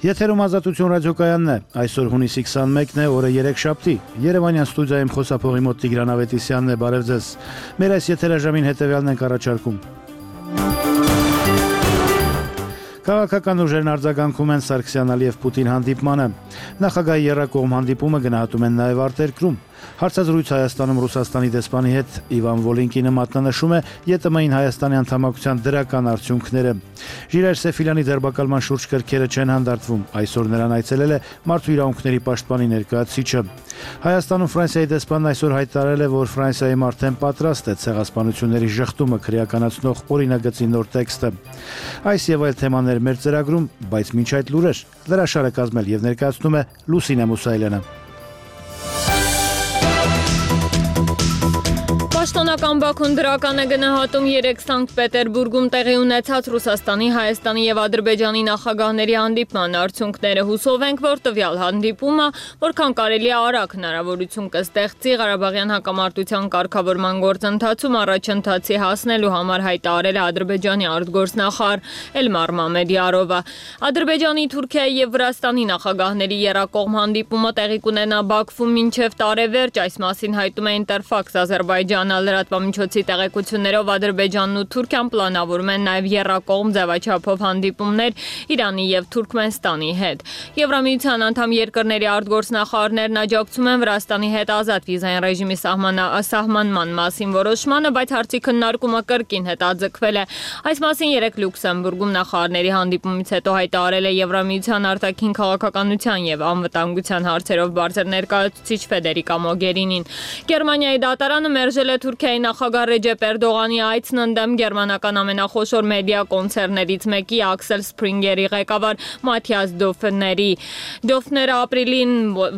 Եթերում Ազատություն ռադիոկայանն է, այսօր հունիսի 21-ն է, օրը երեքշաբթի, Երևանյան ստուդիայում խոսափողի մոտ Տիգրան Ավետիսյանն է, բարև ձեզ, մեր այս եթերաժամին հետևյալն ենք առաջարկում. Քաղաքական ուժերն արձագանքում են Սարգսյան-Ալիև-Պուտին հանդիպմանը, նախագահի եռակողմ հանդիպումը գնահատում են նաև արտերկրում, հարցազրույց Հայաստանում Ռուսաստանի դեսպանի հետ Իվան Վոլինկինը մատնանշում է ԵՏՄ-ին Հայաստանի անդամակցության դրական արդյունքները։ Ժիրայր Սեֆիլյանի ձերբակալման շուրջ կրքերը չեն հանդարտվում, այսօր նրան այցելել է Մարդու իրավունքների պաշտպանի ներկայացուցիչը։ Հայաստանում Ֆրանսիայի դեսպանն այսօր հայտարարել է, որ Ֆրանսիայում արդեն պատրաստ է ցեղասպանությունների ժխտումը քրեականացնող օրինագծի նոր տեքստը։ Այս եւ այլ թեմաներ մեր ծրագրում, բայց մինչ այդ լուրեր լրաշարը կազմել եւ ներկայացնում է Լուսինե Մուսայելյանը։ Պաշտոնական Բաքուն դրական է գնահատում 3 Սանկտ Պետերբուրգում տեղի ունեցած Ռուսաստանի, Հայաստանի եւ Ադրբեջանի նախագահների հանդիպման արդյունքները։ Հուսով ենք, որ տվյալ հանդիպումը որքան կարելի է արագ հնարավորություն կստեղծի Ղարաբաղյան հակամարտության կարգավորման գործընթացում առաջընթացի հասնելու համար, հայտարարել է Ադրբեջանի արտգործնախարար Էլմար Մամեդյարովը։ Ադրբեջանի, Թուրքիայի եւ Վրաստանի նախագահների եռակողմ հանդիպումը տեղի կունենա Բաքվում մինչեւ տարեվերջ, այս մասին հայտում է Ինտերֆաքս Ադրբեջան լրատվամիջոցի տեղեկություններով Ադրբեջանն ու Թուրքիան պլանավորում են նաև եռակողմ ձևաչափով հանդիպումներ Իրանի եւ Թուրքմենստանի հետ։ Եվրամիության անդամ երկրների արտգործնախարարներն աջակցում են Վրաստանի հետ ազատ վիզային ռեժիմի սահմանման մասին որոշմանը, բայց հարցի քննարկումը կրկին հետաձգվել է։ Այս մասին 3 Լյուքսեմբուրգում նախարարների հանդիպումից հետո հայտարարել է Եվրամիության արտաքին քաղաքականության եւ անվտանգության հարցերով բարձր ներկայացուցիչ Ֆեդերիկա Մոգերինին։ Գերմանիայի դատարանը մերժել է Թուրքիայի նախագահ Ռեջեփ Էրդողանի այցն ընդդեմ գերմանական ամենախոշոր մեդիա կոնցեռներից մեկի Աքսել Սփրինգերի ղեկավար Մաթիաս Դոֆների։ Դոֆները ապրիլին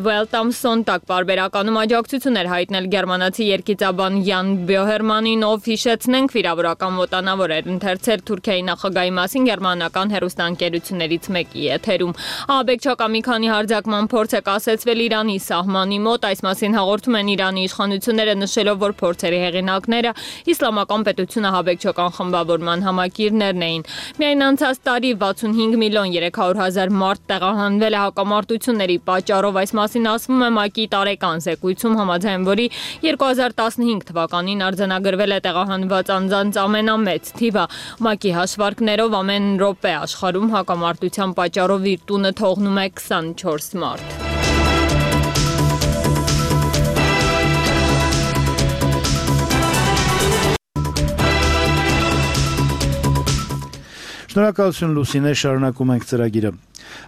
Welt am Sonntag պարբերականում աջակցություն էր հայտնել գերմանացի երգիծաբան Յան Բյոհերմանին, ով հիշեցնենք վիրավորական մոտանավոր էր ընթերցել Թուրքիայի նախագահի մասին գերմանական հեռուստաընկերություններից մեկի եթերում։ Աբեկչակա մի քանի հարձակման փորձ է կասեցվել Իրանի սահմանի մոտ, այս մասին հաղորդում են Իրանի իշխանությունները, նշելով, որ փորձերի հեղինակները իսլամական պետությունը հաբեկչական խմբավորման համակիրներն էին։ Միայն անցած տարի 65 միլիոն 300 հազար մարդ տեղահանվել է հակամարտությունների պատճառով, այս մասին ասվում է ՄԱԿ-ի տարեկան զեկույցում, համաձայն որի 2015 թվականին արձանագրվել է տեղահանված անձանց ամենամեծ թիվը։ ՄԱԿ-ի հաշվարկներով ամեն րոպե աշխարհում հակամարտության պատճառով իր տունը թողնում է 24 մարդ։ Շնորհակալություն Լուսինե, շարունակում ենք ծրագիրը։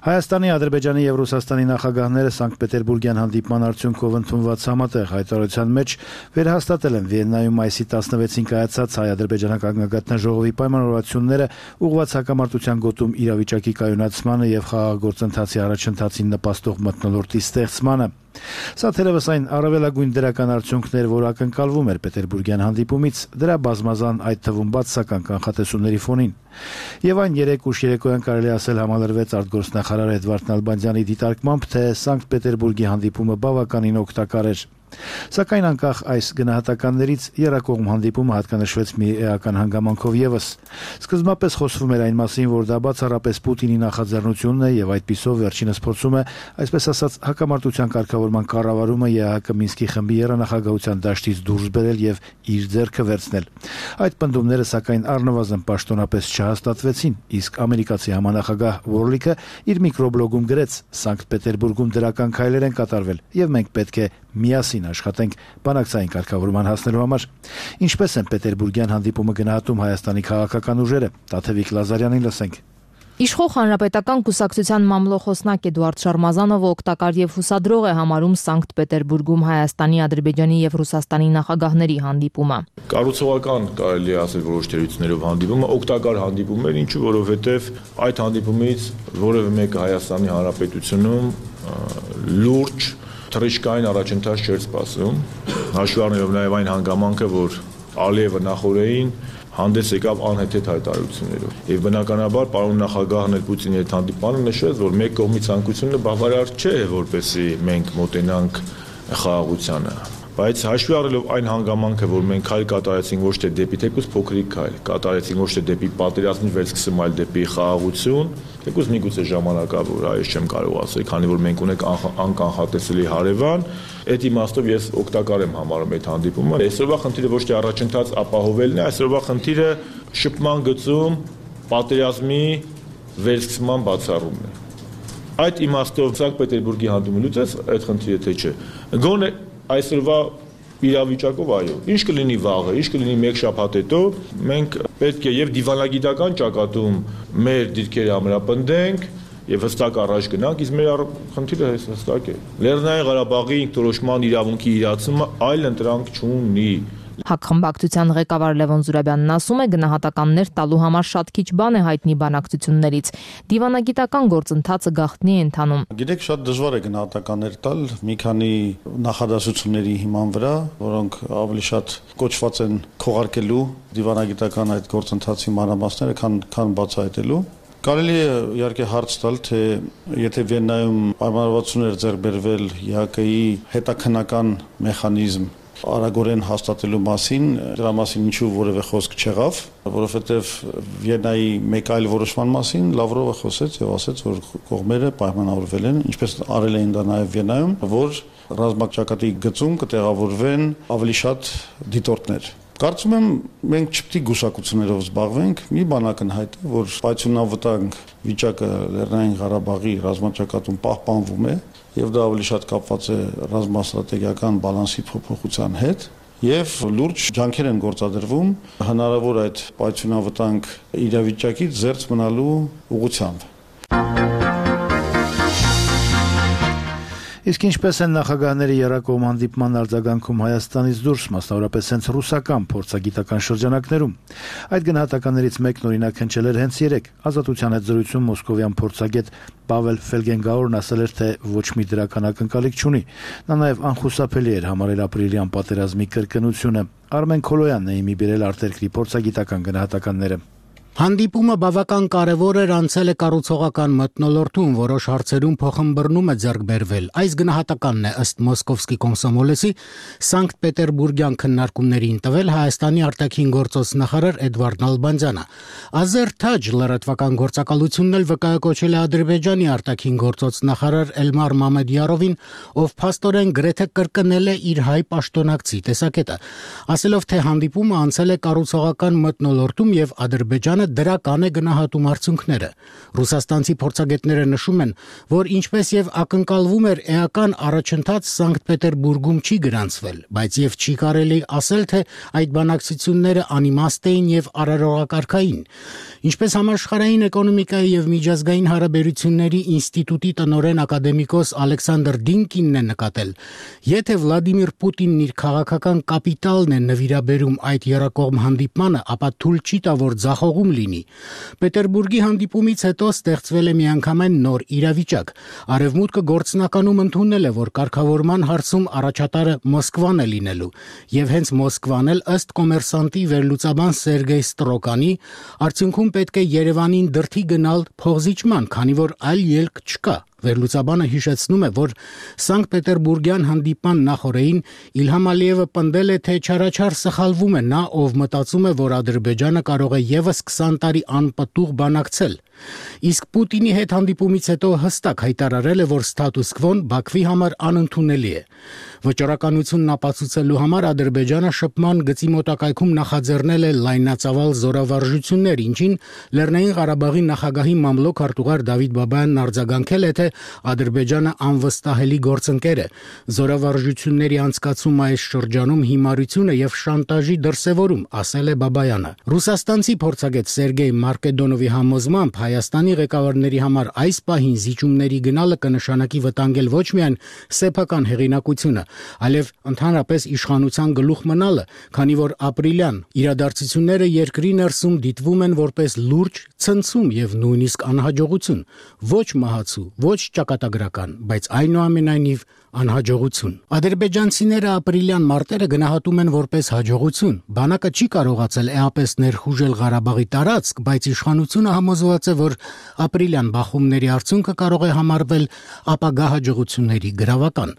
Հայաստանի, Ադրբեջանի եւ Ռուսաստանի նախագահները Սանկտ Պետերբուրգյան հանդիպման արդյունքով ընդունված համատեղ հայտարարության մեջ վերահաստատել են Վիեննայում մայիսի 16-ին կայացած հայ-ադրբեջանական գագաթնաժողովի պայմանավորվածությունները ուղղված հակամարտության գոտում իրավիճակի կայունացմանը եւ խաղաղագործընթացի առաջընթացին նպաստող մթնոլորտի ստեղծմանը։ Սա թերևս այն առավելագույն դրական արդյունքն էր, որ ակնկալվում էր Պետերբուրգյան հանդիպումից, դրա բազմազան, այդ թվում բացասական կանխատեսումների ֆոնին։ Եվ այն 3 ուշ երեկոյան կարելի ասել համալրվեց արտգործնախարար Էդվարդ Նալբանդյանի դիտարկմամբ, թե Սանկտ Պետերբուրգի հանդիպումը բավականին օգտակար էր։ Սակայն անկախ այս գնահատականներից եռակողմ հանդիպումը հատկանշվեց մի էական հանգամանքով եւս։ Սկզբնապես խոսվում էր այն մասին, որ դա բացառապես Պուտինի նախաձեռնությունն է եւ այդպիսով վերջինս փորձում է, այսպես ասած, հակամարտության կարգավորման կառավարումը ԵԱՀԿ Մինսկի խմբի երանախագահության դաշտից դուրս բերել եւ իր ձեռքը վերցնել։ Այդ պնդումները սակայն առնվազն պաշտոնապես չհաստատվեցին, իսկ ամերիկացի համանախագահ Վորլիկը իր միկրոբլոգում գրեց. «Սանկտ Պետերբուրգում դրական քայլեր են կատարվել եւ մենք պետք է միասին աշխատենք բանակցային կարգավորման հասնելու համար»։ Ինչպես են Պետերբուրգյան հանդիպումը գնահատում Հայաստանի քաղաքական ուժերը, Տաթևիկ Լազարյանին լսենք։ Իշխող հանրապետական կուսակցության մամլոխոսնակ Էդուարդ Շարմազանովը օգտակար եւ հուսադրող է համարում Սանկտ Պետերբուրգում Հայաստանի, Ադրբեջանի եւ Ռուսաստանի նախագահների հանդիպումը։ Կառուցողական կարելի ասել որոշ թերություններով հանդիպումը օգտակար հանդիպում էր, ինչու որովհետեւ այդ հանդիպումից որևէ մեկը Հայաստանի Հանրապետությունում լուրջ թռիչքային առաջընթաց չէր սպասում, հաշվի առնելով նաեւ այն հանգամանքը, որ Ալիևը նախորդին հանդես եկավ անհեթեթ հայտարարություններով։ Եվ բնականաբար պարոն նախագահն էլ Պուտինի հետ հանդիպանը նշեց, որ մեկ կողմի ցանկությունը բավարար չէ, որպեսզի մենք մոտենանք խաղաղությանը։ Բայց հաշվի առնելով այն հանգամանքը, որ մենք քայլ կատարեցինք ոչ թե դեպի թեկուզ փոքրիկ քայլ, կատարեցինք ոչ թե դեպի պատերազմի վերսկսում, այլ դեպի խաղաղություն, թեկուզ միգուցե ժամանակավոր, այս չեմ կարող ասել, քանի որ մենք ունենք անկանխատեսելի հարևան, այդ իմաստով ես օգտակար եմ համարում այդ հանդիպումը։ Այսօրվա խնդիրը ոչ թե առաջընթաց ապահովելն է, այսօրվա խնդիրը շփման գծում պատերազմի վերսկսման բացառումն է։ Այդ իմաստով Սանկտ Պետերբուրգի հանդիպումից այդ խնդիրը թե չէ։ Գոնե այսօրվա իրավիճակով այո, ինչ կլինի վաղը, ինչ կլինի մեկ շաբաթ հետո, մենք պետք է եւ դիվանագիտական ճակատում մեր դիրքերը ամրապնդենք եւ հստակ առաջ գնանք, իսկ մեր խնդիրը հստակ է։ Լեռնային Ղարաբաղի ինքնորոշման իրավունքի իրացումը այլ ընտրանք չունի։ Հակխմբակցության ղեկավար Լևոն Զուրաբյանն ասում է, գնահատականներ տալու համար շատ քիչ բան է հայտնի բանակցություններից։ Դիվանագիտական գործընթացը գաղտնի է ընթանում։ Գիտեք, շատ դժվար է գնահատականներ տալ մի քանի նախադասությունների հիման վրա, որոնք ավելի շատ կոչված են քողարկելու դիվանագիտական այդ գործընթացի մանրամասները, քան բացահայտելու։ Կարելի է իհարկե հարց տալ, թե եթե Վիեննայում պայմանավորվածություններ ձեռք բերվել ԵԱՀԿ-ի հետաքննական մեխանիզմ արագորեն հաստատելու մասին, դրա մասին ինչու որևէ խոսք չեղավ, որովհետև Վիեննայի մեկ այլ որոշման մասին Լավրովը խոսեց եւ ասաց, որ կողմերը պայմանավորվել են, ինչպես արել էին դա նաեւ Վիեննայում, որ ռազմաճակատի գծում կտեղավորվեն ավելի շատ դիտորդներ։ Կարծում եմ մենք չպետք է գուսակություններով զբաղվենք, մի բան ակնհայտ է, որ պայթյունավտանգ վիճակը Լեռնային Ղարաբաղի ռազմաճակատում պահպանվում է եւ դա ավելի շատ կապված է ռազմաստրատեգիական բալանսի փոփոխության հետ եւ լուրջ ջանքեր են գործադրվում հնարավոր այդ պայթյունավտանգ իրավիճակից զերծ մնալու ուղղությամբ։ Իսկ ինչպես են նախագահների եռակողմ հանդիպման արձագանքում Հայաստանից դուրս, մասնավորապես հենց ռուսական փորձագիտական շրջանակներում։ Այդ գնահատականներից մեկն օրինակ հնչել էր հենց երեկ Ազատության հետ զրույցում մոսկովյան փորձագետ Պավել Ֆելգենգաուրն ասել էր, թե ոչ մի դրական ակնկալիք չունի։ Նա նաև անխուսափելի էր համարել ապրիլյան պատերազմի կրկնությունը։ Արմեն Քոլոյանն է իմի բերել արտերկրի փորձագիտական գնահատականները։ Հանդիպումը բավական կարևոր էր, անցել է կառուցողական մթնոլորտում, որոշ հարցերում փոխըմբռնում է ձեռք բերվել։ Այս գնահատականն է ըստ Մոսկովսկի Կոմսոմոլեսի Սանկտ Պետերբուրգյան քննարկումներին տվել Հայաստանի արտաքին գործոս նախարար Էդվարդ Նալբանդյանը։ Ազերթաջ լրատվական գործակալությունն էլ վկայակոչել է Ադրբեջանի արտաքին գործոս նախարար Էլմար Մամեդյարովին, ով փաստորեն գրեթե կրկնել է իր հայ պաշտոնակցի տեսակետը, ասելով, թե հանդիպումը անցել է կառուցողական մթնոլորտում եւ Ադրբեջանը դրական է գնահատում արդյունքները։ Ռուսաստանցի փորձագետները նշում են, որ ինչպես եւ ակնկալվում էր էական առաջընթաց Սանկտ Պետերբուրգում չի գրանցվել, բայց եւ չի կարելի ասել, թե այդ բանակցությունները անիմաստ էին եւ արարողակարգային։ Ինչպես համաշխարհային էկոնոմիկայի եւ միջազգային հարաբերությունների ինստիտուտի տնօրեն ակադեմիկոս Ալեքսանդր Դինկինն է նկատել, եթե Վլադիմիր Պուտինն իր քաղաքական կապիտալն է նվիրաբերում այդ եռակողմ հանդիպմանը, ապա թույլ չի տա, որ ձախողում լինի։ Պետերբուրգի հանդիպումից հետո ստեղծվել է միանգամայն նոր իրավիճակ։ Արևմուտքը գործնականում ընդունել է, որ կարգավորման հարցում առաջատարը Մոսկվան է լինելու, եւ հենց Մոսկվան էլ ըստ կոմերսանտի վերլուծաբան Սերգեյ Ստրոկանի արդյունքում պետք է Երևանին դրդի գնալ փողզիջման, քանի որ այլ ելք չկա։ Վերլուծաբանը հիշեցնում է, որ Սանկտ Պետերբուրգյան հանդիպման նախօրեին Իլհամ Ալիևը պնդել է, թե չարաչար սխալվում է նա, ով մտածում է, որ Ադրբեջանը կարող է եւս 20 տարի անպտուղ բանակցել։ Իսկ Պուտինի հետ հանդիպումից հետո հստակ հայտարարել է, որ ստատուս քվոն Բաքվի համար անընդունելի է։ Վճռականությունն ապացուցելու համար Ադրբեջանը շփման գծի մոտակայքում նախաձեռնել է լայնածավալ զորավարժություններ, ինչին Լեռնային Ղարաբաղի նախագահի մամլոք արտուղար Դավիթ Բաբայանն արձագանքել է, թե Ադրբեջանը անվստահելի գործընկեր է։ Զորավարժությունների անցկացումը այս շրջանում հիմարություն է եւ շանտաժի դրսեւորում, ասել է Բաբայանը։ Ռուսաստանցի փորձագետ Սերգեյ Մարկեդոնովի համոզմամբ Հայաստանի ղեկավարների համար այս պահին զիջումների գնալը կնշանակի վտանգել ոչ միայն սեփական հեղինակությունը, այլև ընդհանրապես իշխանության գլուխ մնալը, քանի որ ապրիլյան իրադարձությունները երկրի ներսում դիտվում են որպես լուրջ ցնցում եւ նույնիսկ անհաջողություն, ոչ մահացու, ոչ ճակատագրական, բայց այնուամենայնիվ անհաջողություն։ Ադրբեջանցիները ապրիլյան մարտերը գնահատում են որպես հաջողություն։ Բանակը չի կարողացել էապես ներխուժել Ղարաբաղի տարածք, բայց իշխանությունը համոզված է, որ ապրիլյան բախումների արդյունքը կարող է համարվել ապագա հաջողությունների գրավական։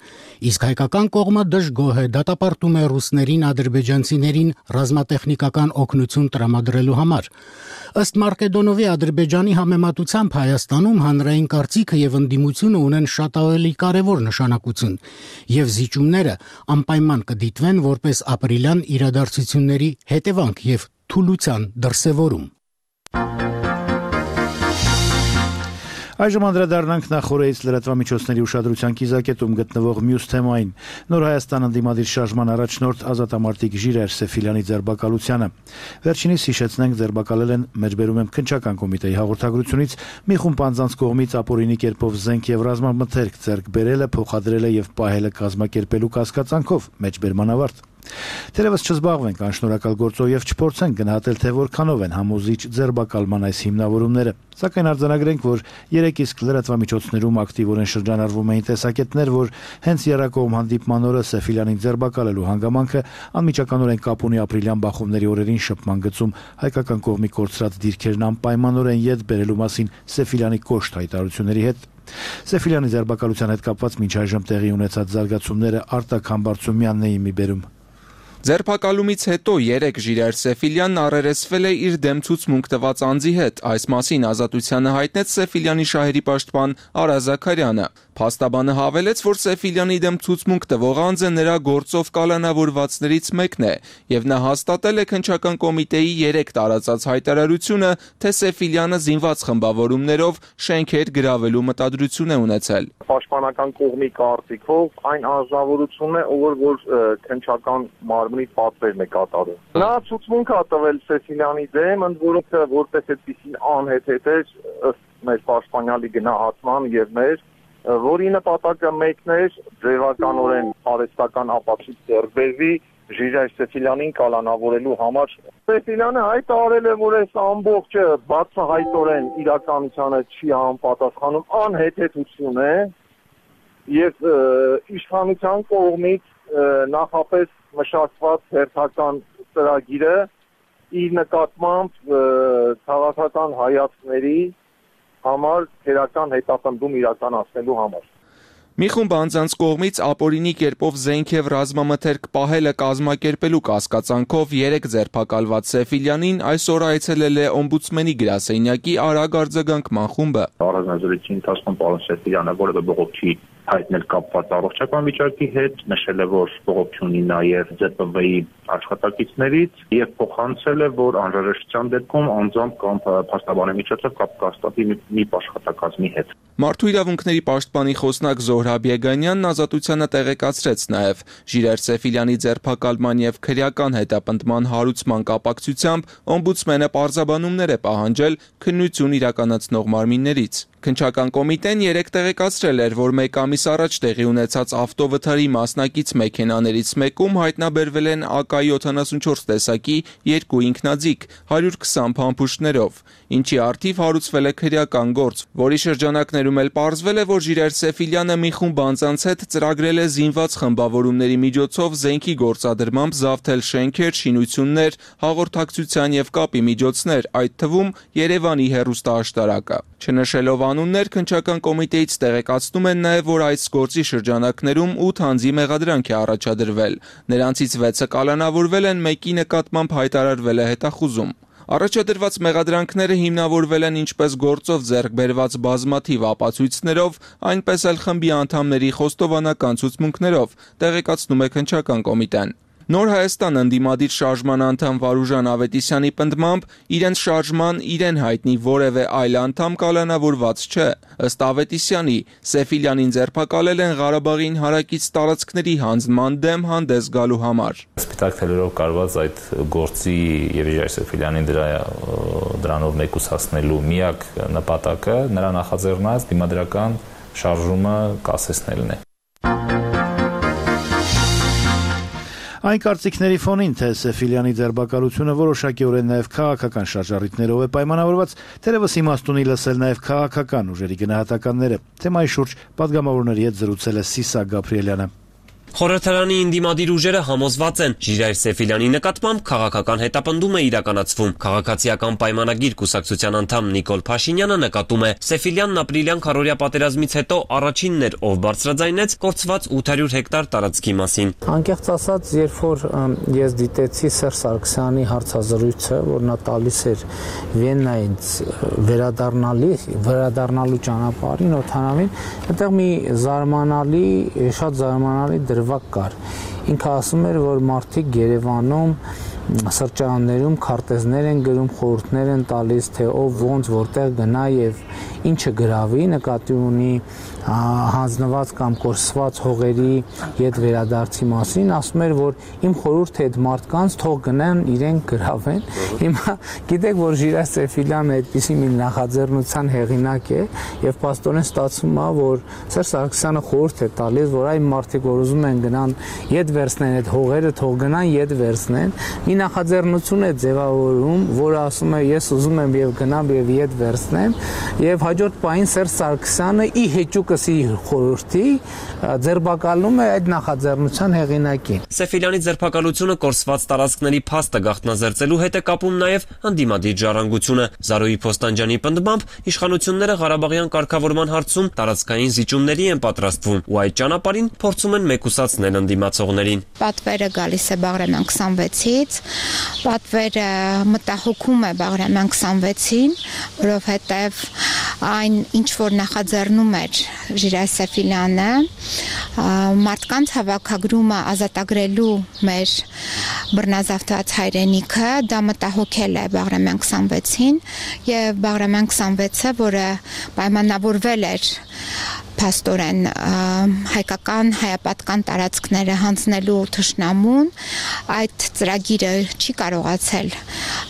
Իսկ հայկական կողմը դժգոհ է, դատապարտում է ռուսներին ադրբեջանցիներին ռազմատեխնիկական օգնություն տրամադրելու համար։ Ըստ Մարկեդոնովի Ադրբեջանի համեմատությամբ Հայաստանում հանրային կարծիքը եւ ընդդիմությունը ունեն շատ ավելի կարեւոր նշանակություն եւ զիջումները անպայման կդիտվեն որպես ապրիլյան իրադարձությունների հետևանք եւ թուլության դրսեւորում։ Այժմ անդրադառնանք նախորդից լրատվամիջոցների ուշադրության կիզակետում գտնվող մյուս թեմային։ Նոր Հայաստան ընդդիմադիր շարժման առաջնորդ ազատամարտիկ Ժիրայր Սեֆիլյանի ձերբակալությանը։ Վերջինիս հիշեցնենք ձերբակալել են մեջբերում եմ քննչական կոմիտեի հաղորդագրությունից մի խումբ անձանց կողմից ապօրինի կերպով զենք եւ ռազմամթերք ձեռք բերելը, փոխադրելը եւ պահելը կազմակերպելու կասկածանքով մեջբերման ավարտ։ Թերևս չզբաղվենք անշնորհակալ գործով եւ չփորձենք գնահատել թե որքանով են համոզիչ ձերբակալման այս հիմնավորումները, սակայն արձանագրենք, որ երեք իսկ լրատվամիջոցներում ակտիվորեն շրջանառվում էին տեսակետներ, որ հենց Եռակողմ հանդիպման օրը Սեֆիլյանին ձերբակալելու հանգամանքը անմիջականորեն կապ ունի ապրիլյան բախումների օրերին շփման գծում հայկական կողմի կորցրած դիրքերն անպայմանորեն ետ բերելու մասին Սեֆիլյանի կոշտ հայտարարությունների հետ։ Սեֆիլյանի ձերբակալության հետ կապված մինչ այժմ տեղի ունեցած զարգացումները Արտակ Համբարձումյանն էին մի բերում։ Ձերբակալումից հետո 3 Ժիրայր Սեֆիլյանն առերեսվել է իր դեմ ցուցմունք տված անձի հետ։ Այս մասին Ազատությանը հայտնեց Սեֆիլյանի շահերի պաշտպան Արա Զաքարյանը։ Փաստաբանը հավելեց, որ Սեֆիլյանի դեմ ցուցմունք տվող անձը նրա գործով կալանավորվածներից մեկն է, եւ նա հաստատել է քննչական կոմիտեի 3 տարածած հայտարարությունը, թե Սեֆիլյանը զինված խմբավորումներով շենքեր գրավելու մտադրություն է ունեցել։ Պաշտպանական կողմի կարծիքով այն անձնավորությունն է, որ քննչական մարմնի պատվերն է կատարում։ Նա ցուցմունք է տվել Սեֆիլյանի դեմ, ընդ որում որպես այդպեսին անհեթեթեր ըստ մեր պաշտպանյալի գնահատման եւ մեր որի նպատակը մեկն էր ձևականորեն արհեստական ապացույց ձեռք բերվի Ժիրայր Սեֆիլյանին կալանավորելու համար։ Սեֆիլյանը հայտարարել է, որ այս ամբողջը բացահայտորեն իրականությանը չի համապատասխանում, անհեթեթություն է եւ իշխանության կողմից նախապես մշակված հերթական ծրագիրը իր նկատմամբ քաղաքական հայացքների համար քերական հետապնդում իրականացնելու համար։ Մի խումբ անձանց կողմից ապօրինի կերպով զենք եւ ռազմամթերք պահելը կազմակերպելու կասկածանքով 3 ձերբակալված Սեֆիլյանին այսօր այցելել է օմբուդսմենի գրասենյակի արագ արձագանքման խումբը։ Առանձնազրույցի ընթացքում պարոն Սեֆիլյանը որևէ բողոք չի հայտնել կապված առողջական վիճակի հետ, նշել է, որ բողոք չունի նաև ԶՊՎ-ի աշխատակիցներից եւ փոխանցել է, որ անհրաժեշտության դեպքում անձամբ կամ փաստաբանի միջոցով կապ կհաստատի մի աշխատակազմի հետ։ Մարդու իրավունքների պաշտպանի խոսնակ Զոհրաբ Եգանյանն Ազատությանը տեղեկացրեց նաև Ժիրայր Սեֆիլյանի ձերբակալման եւ քրեական հետապնդման հարուցման կապակցությամբ օմբուդսմենը պարզաբանումներ է պահանջել քննություն իրականացնող մարմիններից։ Քննչական կոմիտեն 3 տեղեկացրել էր, որ 1 ամիս առաջ տեղի ունեցած ավտովթարի մասնակից մեքենաներից մեկում հայտնաբերվել են AK-74 տեսակի 2 ինքնաձիգ 120 փամփուշտներով, ինչի առթիվ հարուցվել է քրեական գործ, որի շրջանակներում էլ պարզվել է, որ Ժիրայր Սեֆիլյանը մի խումբ անձանց հետ ծրագրել է զինված խմբավորումների միջոցով զենքի գործադրմամբ զավթել շենքեր, շինություններ, հաղորդակցության եւ կապի միջոցներ, այդ թվում Երևանի հեռուստաաշտարակը։ Չնշելով անուններ, քննչական կոմիտեից տեղեկացնում են նաև, որ այս գործի շրջանակներում 8 անձի մեղադրանք է առաջադրվել։ Նրանցից 6-ը կալանավորվել են, մեկի նկատմամբ հայտարարվել է հետախուզում։ Առաջադրված մեղադրանքները հիմնավորվել են ինչպես գործով ձեռք բերված բազմաթիվ ապացույցներով, այնպես էլ խմբի անդամների խոստովանական ցուցմունքներով, տեղեկացնում է քննչական կոմիտեն։ Նոր Հայաստան ընդդիմադիր շարժման անդամ Վարուժան Ավետիսյանի պնդմամբ իրենց շարժման իրեն հայտնի որևէ այլ անդամ կալանավորված չէ։ Ըստ Ավետիսյանի, Սեֆիլյանին ձերբակալել են Ղարաբաղին հարակից տարածքների հանձնման դեմ հանդես գալու համար։ Սպիտակ թելերով կարված այդ գործի եւ Ժիրայր Սեֆիլյանին դրանով մեկուսացնելու միակ նպատակը նրա նախաձեռնած դիմադրական շարժումը կասեցնելն է։ Այն կարծիքների ֆոնին, թե Սեֆիլյանի ձերբակալությունը որոշակիորեն նաև քաղաքական շարժառիթներով է պայմանավորված, թերևս իմաստ ունի լսել նաև քաղաքական ուժերի գնահատականները։ Թեմայի շուրջ պատգամավորների հետ զրուցել է Սիսակ Գաբրիելյանը։ Խորհրդարանի ինդիմադիր ուժերը համոզված են, Ժիրայր Սեֆիլյանի նկատմամբ քաղաքական հետապնդում է իրականացվում։ Քաղաքացիական պայմանագիր կուսակցության անդամ Նիկոլ Փաշինյանը նկատում է, Սեֆիլյանն ապրիլյան քարոզիա պատերազմից հետո առաջինն էր, ով բարձրաձայնեց կորցված 800 հեկտար տարածքի մասին։ Անկեղծ ասած, երբ որ ես դիտեցի Սերժ Սարգսյանի հարցազրույցը, որ նա տալիս էր Վիեննայից վերադառնալու ճանապարհին օթանավին, այդտեղ մի շատ զարմանալի դրվագ կար։ Ինքը ասում էր, որ մարդիկ Երևանում սրճարաններում քարտեզներ են գրում, խորհուրդներ են տալիս, թե ով ոնց որտեղ գնա եւ ինչը գրավի, նկատի ունի հանձնված կամ կորսված հողերի հետ վերադարձի մասին, ասում էր, որ իմ խորհուրդը այդ մարդկանց թող գնան իրեն գրավեն։ Հիմա գիտեք, որ Ժիրայր Սեֆիլյանը այդպիսի մի նախաձեռնության հեղինակ է եւ պաստորեն ստացվում է, որ Սերժ Սարգսյանը խորհուրդ է տալիս, որ այն մարդիկ, որ ուզում են գնան իդ վերցնեն այդ հողերը, թող գնան իդ վերցնեն։ Մի նախաձեռնություն է ձևավորում, որը ասում է ես ուզում եմ եւ գնամ եւ իդ վերցնեմ, եւ հաջորդ պահին Սերժ Սարգսյանը ի հեճուկսի խորհրդի ձերբակալում է այդ նախաձեռնության հեղինակին։ Սեֆիլյանի ձերբակալությունը կորսված տարածքների փաստը գաղտնազերծելու հետ է կապում նաեւ ընդդիմադիր ժառանգությունը։ Զարուհի Փոստանջյանի պնդմամբ իշխանությունները Ղարաբաղյան կարգավորման հարցում տարածքային զիջումների են պատրաստվում ու այդ ճանապարհին փորձում են մեկուսացնել ընդդիմացողներին։ Պատվերը գալիս է Բաղրամյան 26-ից, պատվերը մտահոգում է Բաղրամյան 26-ին, որովհետև այն ինչ որ նախաձեռնում էր Ժիրայր Սեֆիլյանը, մարդկանց հավաքագրումը ազատագրելու մեր բռնազավթված հայրենիքը, դա մտահոգել է Բաղրամյան 26-ին եւ Բաղրամյան 26-ը, որը պայմանավորվել էր փաստորեն հայկական հայապատական տարածքները հանձնելու թշնամուն, այդ ծրագիրը չի կարողացել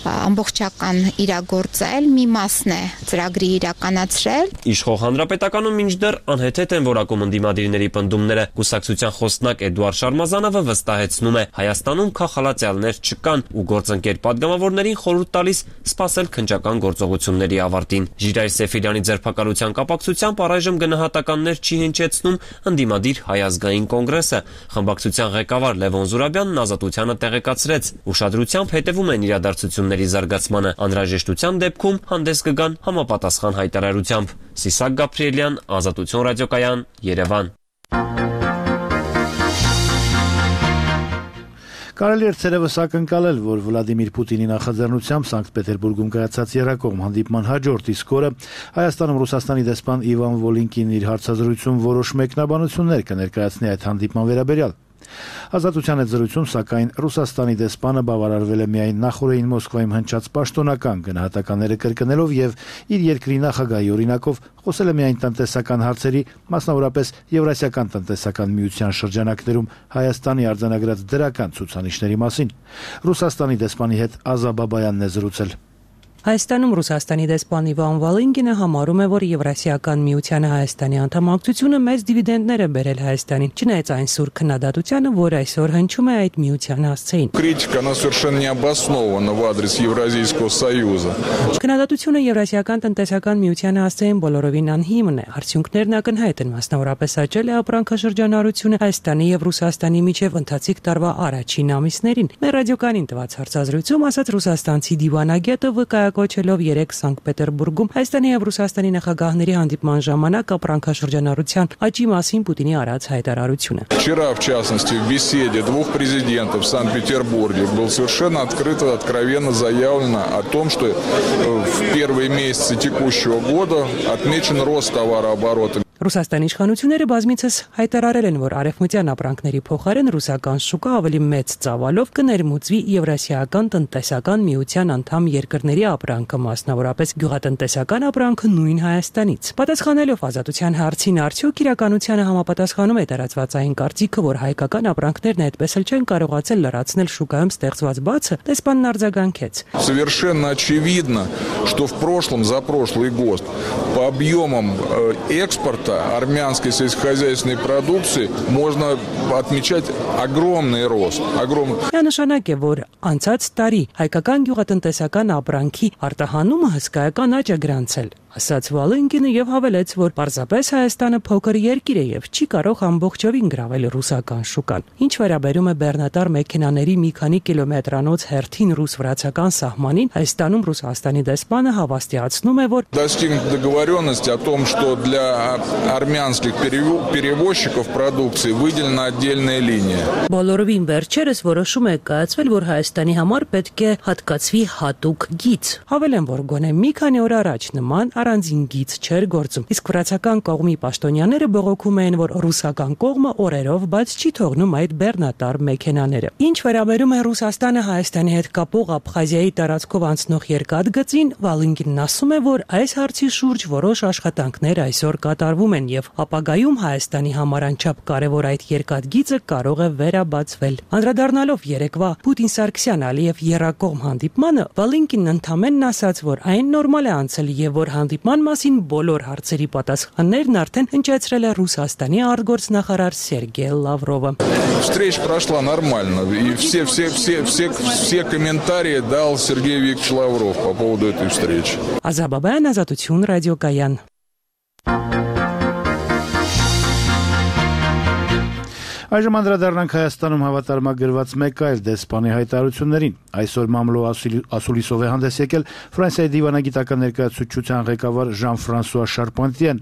ամբողջական իրագործել, մի մասն է ծրագրի իրականացրել։ Իշխող հանրապետականում մինչդեռ անհեթեթ են որակում ընդդիմադիրների պնդումները։ Կուսակցության խոսնակ Էդուարդ Շարմազանովը վստահեցնում է, Հայաստանում քաղաքալացյալներ չկան ու գործընկեր պատգամավորներին խորհուրդ տալիս սպասել քննչական գործողությունների ավարտին։ Ժիրայր Սեֆիլյանի ձերբակալության կապակցությամբ առայժմ գնահատականներ չի հնչեցնում ընդդիմադիր Հայ ազգային կոնգրեսը։ Խմբակցության ղեկավար Լևոն Զուրաբյանն ազատությանը տեղեկացրեց, ուշադրությամբ հետևում են իրադարձությունների զարգացմանը, անհրաժեշտության դեպքում հանդես կգան համապատասխան հայտարարությամբ։ Սիսակ Գաբրիելյան, Ազատություն ռադիոկայան, Երևան։ Կարելի էր ցերևս ակնկալել, որ Վլադիմիր Պուտինի նախաձեռնությամբ Սանկտ Պետերբուրգում կայացած երակողմ հանդիպման հաջորդ իսկ օրը Հայաստանում Ռուսաստանի դեսպան Իվան Վոլինկին իր հարցազրույցում որոշ մեկնաբանություններ կներկայացնի այդ հանդիպման վերաբերյալ։ Ազատության հետ զրույցում, սակայն Ռուսաստանի դեսպանը բավարարվել է միայն նախորդին Մոսկվայում հնչած պաշտոնական գնահատականները կրկնելով եւ իր երկրի նախագահի օրինակով խոսել է միայն տնտեսական հարցերի, մասնավորապես Եվրասիական տնտեսական միության շրջանակներում Հայաստանի արձանագրած դրական ցուցանիշների մասին։ Ռուսաստանի դեսպանի հետ Ազա Բաբայանն է զրուցել։ Հայաստանում Ռուսաստանի դեսպան Իվան Վոլինկինը համարում է, որ Եվրասիական միությանը Հայաստանի անդամակցությունը մեծ դիվիդենդներ է բերել Հայաստանին, չնայած այն սուր քննադատությանը, որ այսօր հնչում է այդ միության հասցեին։ Критика, она совершенно не обоснована в адрес Евразийского Союза. Քննադատությունը Եվրասիական տնտեսական միությանը հասցեին բոլորովին անհիմն է։ Արդյունքներն ակնհայտ են, մասնավորապես աճել է ապրանքաշրջանառությունը Հայաստանի եւ Ռուսաստանի միջև ընթացիկ տարվա առաջին ամիսներին։ Մեր ռադիոկանին տված հարցազրույցում ասաց ռուսաստանցի դիվանագետը կոչելով 3 Սանկտ Պետերբուրգում Հայաստանի եւ Ռուսաստանի նախագահների հանդիպման ժամանակ ապրանքաշրջանառության աճի մասին Պուտինի արած հայտարարությունը։ Вчера, в частности, в беседе двух президентов в Санкт-Петербурге было совершенно открыто, откровенно заявлено о том, что в первые месяцы текущего года отмечен рост товарооборота. Ռուսաստանի իշխանությունները բազմիցս հայտարարել են, որ արևմտյան ապրանքների փոխարեն ռուսական շուկա ավելի մեծ ծավալով կներմուծվի Եվրասիական տնտեսական միության անդամ երկրների ապրանքը, մասնավորապես գյուղատնտեսական ապրանքը նույն Հայաստանից։ Պատասխանելով ազատության հարցին, արդյոք իրականությանը համապատասխանում է տարածված այն կարծիքը, որ հայկական ապրանքներն այդպես էլ չեն կարողացել լրացնել շուկայում ստեղծված բացը, դեսպանն արձագանքեց։ Совершенно очевидно, что в прошлом, за прошлый год по объемам экспорта армянской сельскохозяйственной продукции можно отмечать огромный рост. Նշանակ է, որ անցած տարի հայկական գյուղատնտեսական ապրանքի արտահանումը հսկայական աճ է գրանցել, ասաց Վալենկինը եւ հավելեց, որ պարզապես Հայաստանը փոքր երկիր է եւ չի կարող ամբողջովին գրավել ռուսական շուկան։ Ինչ վերաբերում է բեռնատար մեքենաների մի քանի կիլոմետրանոց հերթին ռուս-վրացական սահմանին, Հայաստանում Ռուսաստանի դեսպանը հավաստիացնում է, որ достигнута договоренность о том, что для армянских перевозчиков продукции выделена отдельная линия. Բոլորովին վերջերս որոշում է կայացվել, որ Հայաստանի համար պետք է հատկացվի հատուկ գիծ։ Հավելեմ, որ գոնե մի քանի օր առաջ նման առանձին գիծ չէր գործում, իսկ վրացական կողմի պաշտոնյաները բողոքում էին, որ ռուսական կողմը օրերով բաց չի թողնում այդ բեռնատար մեքենաները։ Ինչ վերաբերում է Ռուսաստանը Հայաստանի հետ կապող Աբխազիայի տարածքով անցնող երկաթգծին, Վալենկինն ասում է, որ այս հարցի շուրջ որոշ աշխատանքներ այսօր կատարվում են եւ ապագայում Հայաստանի համար անչափ կարեւոր այդ երկաթգիծը կարող է վերաբացվել։ Անդրադառնալով երեկվա Պուտին-Սարգսյան-Ալիև եռակողմ հանդիպմանը, Վալենկինն ընդամենն ասաց, որ այն նորմալ է անցել եւ որ հանդիպման մասին բոլոր հարցերի պատասխաններն արդեն հնչեցրել է Ռուսաստանի արտգործնախարար Սերգեյ Լավրովը։ Встреча прошла нормально, и все комментарии дал Сергей Викторович Лавров по поводу этой встречи. Ազաբաբյան ազատություն ռադիոկայան։ Այժմ անդրադառնանք Հայաստանում հավատարմագրված մեկ այլ դեսպանի հայտարարություններին։ Այսօր մամլո ասուլիսով է հանդես եկել Ֆրանսիայի դիվանագիտական ներկայացուցչության ղեկավար Ժան-Ֆրանսուଆ Շարպանտիեն։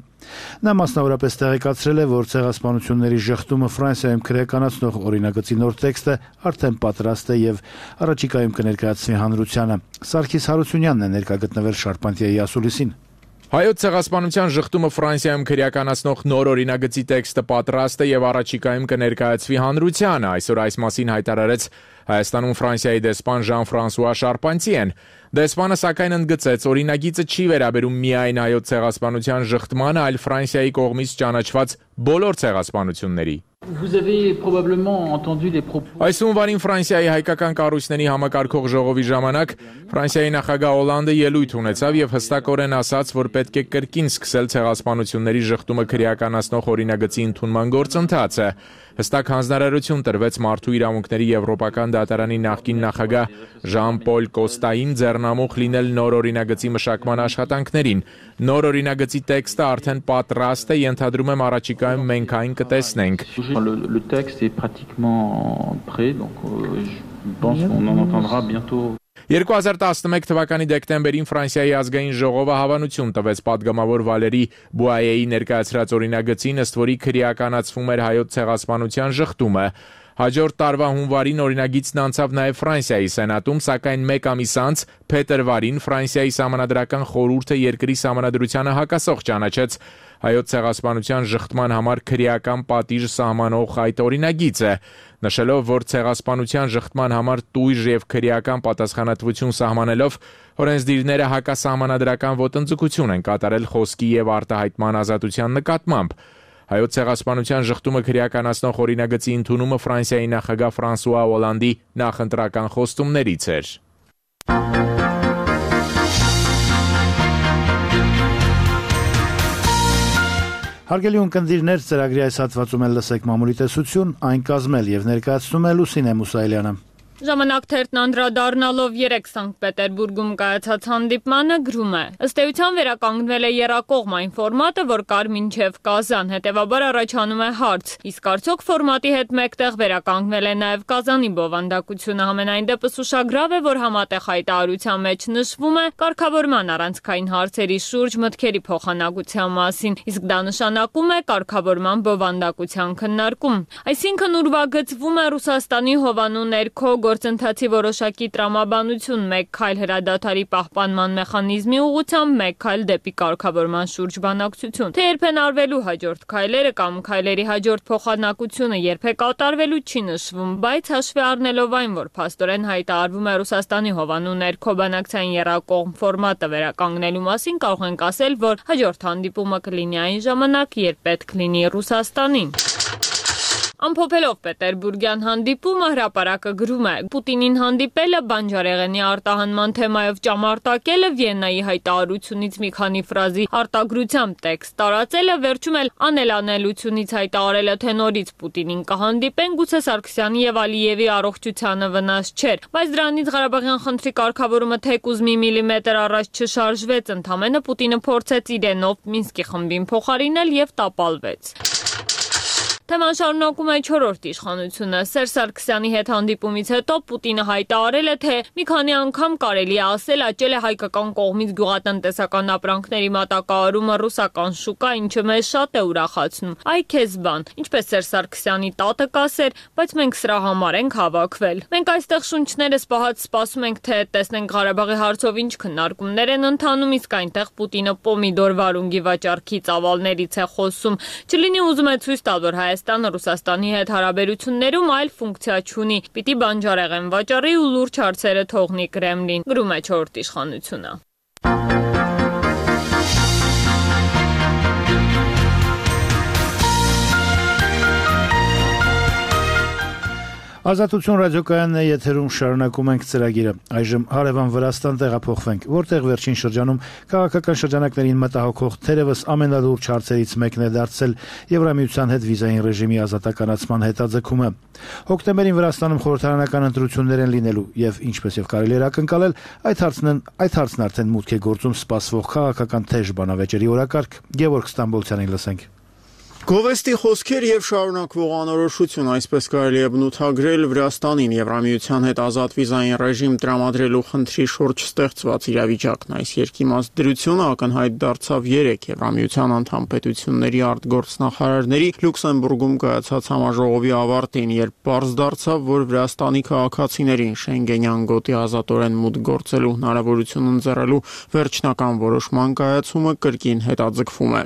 Նա մասնավորապես տեղեկացրել է, որ ցեղասպանությունների ժխտումը Ֆրանսիայում քրեականացնող օրինագծի նոր տեքստը արդեն պատրաստ է եւ առաջիկայում կներկայացվի հանրությանը։ Սարգիս Հարությունյանն է ներկա գտնվել Շարպանտիայի ասուլիսին։ Հայոց ցեղասպանության ժխտումը Ֆրանսիայում քրեականացնող նոր օրինագծի տեքստը պատրաստ է եւ առաջիկայում կներկայացվի հանրությանը։ Այսօր այս մասին հայտարարեց Հայաստանում Ֆրանսիայի դեսպան Ժան-Ֆրանսուଆ Շարպանտիեն։ Դեսպանը սակայն ընդգծեց, օրինագիծը չի վերաբերում միայն հայոց ցեղասպանության ժխտմանը, այլ Ֆրանսիայի կողմից ճանաչված բոլոր ցեղասպանությունների։ Vous avez probablement entendu les propos. Այս հունվարին Ֆրանսիայի հայկական կառույցների համակարգող ժողովի ժամանակ Ֆրանսիայի նախագահ Օլանդը ելույթ ունեցավ եւ հստակորեն ասաց, որ պետք է կրկին սկսել ցեղասպանությունների ժխտումը քրեականացնող օրինագծի ընդունման գործընթացը։ Հստակ հանձնարարություն տրվեց Մարդու իրավունքների Եվրոպական դատարանի նախկին նախագահ Ժան-Պոլ Կոստային ձեռնամուխ լինել նոր օրինագծի մշակման աշխատանքներին։ Նոր օրինագծի տեքստը արդեն պատրաստ է, ենթադրում եմ առաջիկայում մենք այն կտեսնենք։ Le texte est pratiquement prêt, donc je pense qu'on en entendra bientôt. 2011 թվականի դեկտեմբերին Ֆրանսիայի ազգային ժողովը հավանություն տվեց падգամավոր Վալերի Բուայեի ներկայացրած օրինագծին, ըստ որի քրեականացվում էր հայոց ցեղասպանության ժխտումը։ Հաջորդ տարվա հունվարին օրինագիծն անցավ նաև Ֆրանսիայի սենատում, սակայն մեկ ամիս անց փետրվարին Ֆրանսիայի սահմանադրական խորհուրդը երկրի սահմանադրությանը հակասող ճանաչեց հայոց ցեղասպանության ժխտման համար քրեական պատիժ սահմանող այդ օրինագիծը, նշելով, որ ցեղասպանության ժխտման համար տույժ եւ քրեական պատասխանատվություն սահմանելով օրենսդիրները հակասահմանադրական ոտնձգություն են կատարել խոսքի եւ արտահայտման ազատության նկատմամբ։ Հայոց ցեղասպանության ժխտումը քրեականացնող օրինագծի ընդունումը Ֆրանսիայի նախագահ Ֆրանսուଆ Օլանդի նախընտրական խոստումներից էր։ Հարգելի ունկնդիրներ, ծրագրի այս հատվածում էլ լսեք մամուլի տեսություն, այն կազմել եւ ներկայացնում է Լուսինե Մուսայելյանը։ Ժամանակ թերթն անդրադառնալով 3 Սանկտ Պետերբուրգում կայացած հանդիպմանը գրում է. ըստ էության վերականգնվել է եռակողմ այն ֆորմատը, որ կար մինչև Կազան, հետևաբար առաջանում է հարց. իսկ արդյոք ֆորմատի հետ մեկտեղ վերականգնվել է նաև Կազանի բովանդակությունը, համենայն դեպս ուշագրավ է, որ համատեղ հայտարարության մեջ նշվում է կարգավորման առանցքային հարցերի շուրջ մտքերի փոխանակության մասին, իսկ դա նշանակում է կարգավորման բովանդակության քննարկում։ Այսինքն ուրվագծվում է Ռուսաստանի հովանու ներքո գործընթացի որոշակի տրամաբանություն, մեկ քայլ հրադադարի պահպանման մեխանիզմի ուղղությամբ, մեկ քայլ դեպի կարգավորման շուրջ բանակցություն։ Թե երբ են արվելու հաջորդ քայլերը կամ քայլերի հաջորդ փոխանակությունը երբ է կատարվելու չի նշվում, բայց հաշվի առնելով այն, որ փաստորեն հայտարարվում է Ռուսաստանի հովանու ներքո բանակցային եռակողմ ֆորմատը վերականգնելու մասին, կարող ենք ասել, որ հաջորդ հանդիպումը կլինի այն ժամանակ, երբ պետք լինի Ռուսաստանին։ Ամփոփելով Պետերբուրգյան հանդիպումը հրապարակը գրում է. Պուտինին հանդիպելը, բանջարեղենի արտահանման թեմայով ճամարտակելը, Վիեննայի հայտարարությունից մի քանի ֆրազի արտագրությամբ տեքստ տարածելը, վերջում էլ անելանելությունից հայտարարելը, թե նորից Պուտինին կհանդիպեն, գուցե Սարգսյանի եւ Ալիևի առողջությանը վնաս չէր, բայց դրանից Ղարաբաղյան խնդրի կարգավորումը թեկուզ մի միլիմետր առաջ չշարժվեց, ընդամենը Պուտինը փորձեց իրենով Մինսկի խմբին փոխարինել եւ տապալվեց։ Թեման շարունակում է 4-րդ իշխանությունը։ Սերժ Սարգսյանի հետ հանդիպումից հետո Պուտինը հայտարարել է, թե մի քանի անգամ կարելի է ասել աճել է հայկական կողմից գյուղատնտեսական ապրանքների մատակարարումը ռուսական շուկա, ինչը մեզ շատ է ուրախացնում։ Այ քեզ բան, ինչպես Սերժ Սարգսյանի տատը կասեր, բայց մենք սրա համար ենք հավաքվել։ Մենք այստեղ շունչներս պահած սպասում ենք, թե տեսնենք Ղարաբաղի հարցով ինչ քննարկումներ են ընթանում, իսկ այնտեղ Պուտինը պոմիդոր վարունգի վաճառքի ծավալներից է խոսում։ Չլինի ուզում է ցույց տալ, որ Հայաստանը Ռուսաստանի հետ հարաբերություններում այլ ֆունկցիա չունի, պիտի բանջարեղեն վաճառի ու լուրջ հարցերը թողնի Կրեմլին, գրում է 4-րդ իշխանությունը։ Ազատություն ռադիոկայանն է եթերում, շարունակում ենք ծրագիրը։ Այժմ հարևան Վրաստան տեղափոխվենք, որտեղ վերջին շրջանում քաղաքական շրջանակներին մտահոգող թերևս ամենալուրջ հարցերից մեկն է դարձել Եվրամիության հետ վիզային ռեժիմի ազատականացման հետաձգումը։ Հոկտեմբերին Վրաստանում խորհրդարանական ընտրություններ են լինելու եւ ինչպես եւ կարելի է ակնկալել, այդ հարցն արդեն մուտք է գործում սպասվող քաղաքական թեժ բանավեճերի օրակարգ։ Գևորգ Ստամբոլցյանին լսենք։ Գովեստի խոսքեր եւ շարունակվող անորոշություն, այսպես կարելի է բնութագրել Վրաստանին Եվրամիության հետ ազատ վիզային ռեժիմ տրամադրելու խնդրի շուրջ ստեղծված իրավիճակն։ Այս երկիմաց դրությունը ակնհայտ դարձավ 3 Եվրամիության անդամ պետությունների արտգործնախարարների Լյուքսեմբուրգում կայացած համաժողովի ավարտին, երբ պարզ դարձավ, որ Վրաստանի քաղաքացիներին Շենգենյան գոտի ազատորեն մուտք գործելու հնարավորություն ընձեռելու վերջնական որոշման կայացումը կրկին հետաձգվում է։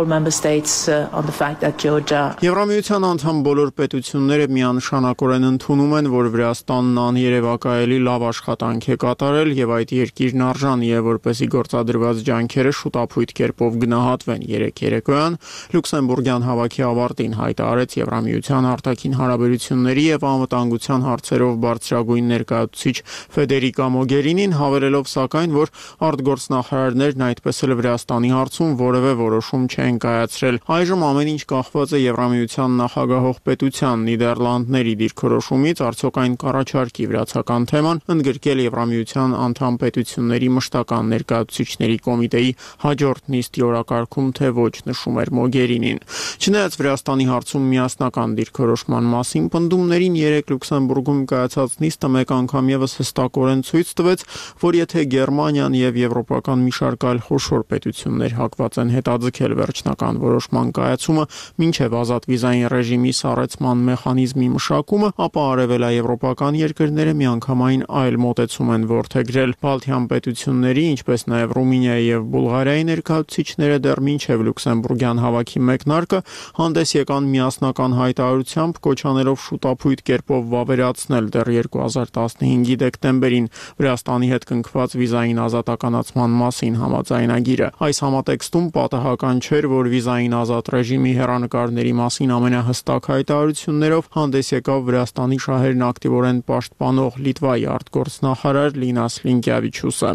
member states on the fact that Georgia Եվրամիության անդամ բոլոր պետությունները միանշանակորեն ընդունում են, որ Վրաստանն աներևակայելի լավ աշխատանք է կատարել եւ այդ երկիրն արժանի է, որպեսզի գործադրված ջանքերը շուտապույտ կերպով գնահատվեն։ Երեկոյան Լյուքսեմբուրգյան հավաքի ավարտին հայտարարեց Եվրամիության արտաքին հարաբերությունների եւ անվտանգության հարցերով բարձրագույն ներկայացուցիչ Ֆեդերիկա Մոգերինին, հավելելով սակայն, որ արտգործնախարարներն այդպես էլ Վրաստանի հարցում որևէ որոշում չեն կայացրել։ Այժմ ամեն ինչ կախված է Եվրամիության նախագահող պետության Նիդերլանդների դիրքորոշումից, արդյոք այն կառաջարկի վրացական թեման ընդգրկել Եվրամիության անդամ պետությունների մշտական ներկայացուցիչների կոմիտեի հաջորդ նիստի օրակարգում, թե ոչ, նշում էր Մոգերինին։ Չնայած Վրաստանի հարցում միասնական դիրքորոշման մասին պնդումներին, 3 Լյուքսեմբուրգում կայացած նիստը մեկ անգամ եւս հստակորեն ցույց տվեց, որ եթե Գերմանիան եւ եվրոպական մի շարք այլ խոշոր պետություններ հակված են հետաձգել վերջնական որոշման կայացումը մինչև ազատ վիզային ռեժիմի սառեցման մեխանիզմի մշակումը, ապա արևելաեվրոպական երկրները միանգամայն այլ մոտեցում են որդեգրել։ Բալթյան պետությունների, ինչպես նաև Ռումինիայի եւ Բուլղարիայի ներկայացուցիչները դեռ մինչև Լյուքսեմբուրգյան հավաքի մեկնարկը հանդես եկան միասնական հայտարարությամբ, կոչանելով շուտապույտ կերպով վավերացնել դեռ 2015-ի դեկտեմբերին Վրաստանի հետ կնքված վիզային ազատականացման մասին համաձայնագիրը։ Այս համատեքստում պատահական չէր, որ վիզային ազատ ռեժիմի հեռանկարների մասին ամենահստակ հայտարարություններով հանդես եկավ Վրաստանի շահերն ակտիվորեն պաշտպանող Լիտվայի արտգործնախարար Լինաս Լինկևիչուսը։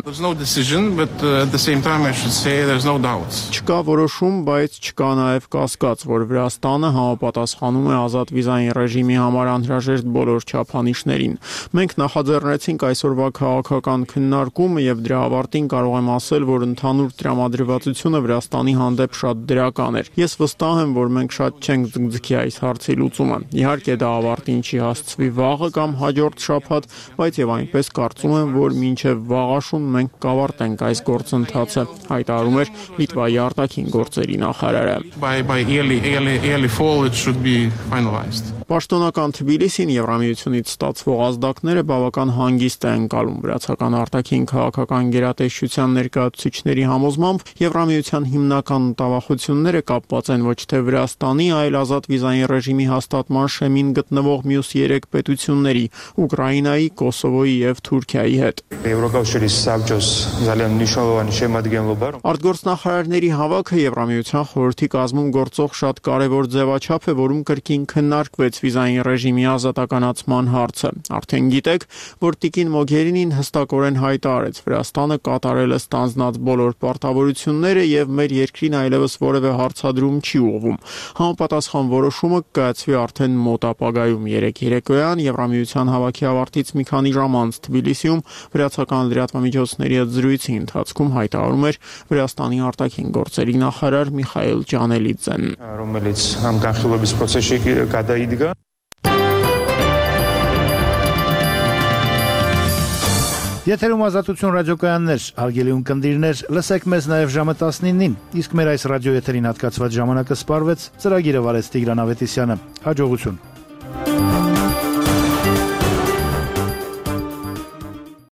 Չկա որոշում, բայց չկա նաև կասկած, որ Վրաստանը համապատասխանում է ազատ վիզային ռեժիմի համար անհրաժեշտ բոլոր չափանիշներին։ Մենք նախաձեռնեցինք այսօրվա քաղաքական քննարկումը եւ դրա ավարտին կարող եմ ասել, որ ընդհանուր տրամադրվածությունը Վրաստանի հանդեպ շատ դրական էր։ Ես վստահ եմ, որ մենք շատ չենք ձգձգի այս հարցի լուծումը։ Իհարկե դա ավարտին չի հասցվի վաղը կամ հաջորդ շաբաթ, բայց եւ այնպես կարծում եմ, որ մինչեւ վաղաշուն մենք կավարտենք այս գործընթացը, հայտարարում էր Լիտվայի արտաքին գործերի նախարարը։ Պաշտոնական Թբիլիսին Եվրամիությունից ստացվող ազդակները բավական հանգիստ է ընկալում վրացական արտաքին քաղաքական գերատեսչության ներկայացուցիչների համոզմամբ Եվրամիության հիմնական տավախությունները կապված են ոչ թե Վրաստանի, այլ ազատ վիզային ռեժիմի հաստատման շեմին գտնվող մյուս 3 պետությունների՝ Ուկրաինայի, Կոսովոյի եւ Թուրքիայի հետ։ Արտգործնախարարների հավաքը Եվրամիության խորհրդի կազմում գործող շատ կարևոր ձևաչափ է, որում կրկին քննարկվեց վիզային ռեժիմի ազատականացման հարցը։ Արդեն գիտեք, որ Տիկին Մոգերինին հստակորեն հայտարարեց Վրաստանը կատարել է ստանձնած բոլոր պարտավորությունները եւ մեր երկրին այլևս որևէ հարցադրում չի ուղղվում։ Համապատասխան որոշումը կայացվի արդեն մոտ ապագայում 3 երեկոյան Եվրամիության հավաքի ավարտից մի քանի ժամ անց Թբիլիսիում վրացական լրատվամիջոցների հետ զրույցի ընթացքում հայտարարում էր Վրաստանի արտաքին գործերի նախարար Միխայել Ջանելիձեն։ Რომელიც համկանխելობის process-ի կդայիդգա Եթերում ազատություն ռադիոկայաններ, հարգելի ունկնդիրներ, լսեք մեզ նաև ժամը 19-ին, իսկ մեր այս ռադիոեթերին հատկացված ժամանակը սպառվեց, ծրագիրը վարեց Տիգրան Ավետիսյանը։ Հաջողություն։